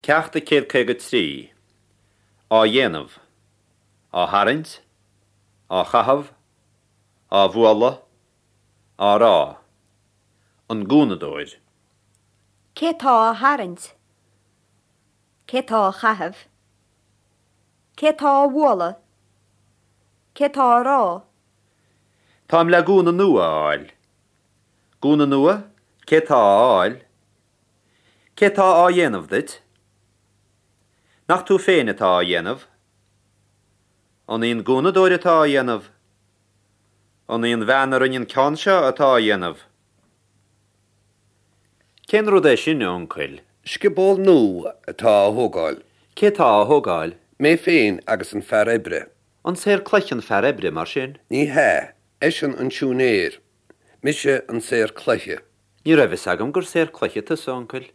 Ceacht 153. Á dhéanamh. Á tharraingt. Á chaitheamh. Á bhualadh. Á rá. An gúnadóir. Cé tá á tharraingt? Cé tá á chaitheamh? Cé tá á bhualadh? Cé tá á rá? Táim le gúna nua a fháil. Gúna nua? Cé tá á fháil? Cé tá á dhéanamh duit? Nach tú féin atá á dhéanamh? An í an gúnadóir atá á dhéanamh? An í an bhean a rinne an ceann seo atá á dhéanamh? Cén rud é sin, a uncail? Scioból nua atá á thógáil. Cé tá á thógáil? Mé féin agus an fear oibre. An saor cloiche an fear oibre, mar sin? Ní hea, eisean an siúinéir, mise an saor cloiche. Ní raibh fhios agam gur saor cloiche tusa, a uncail.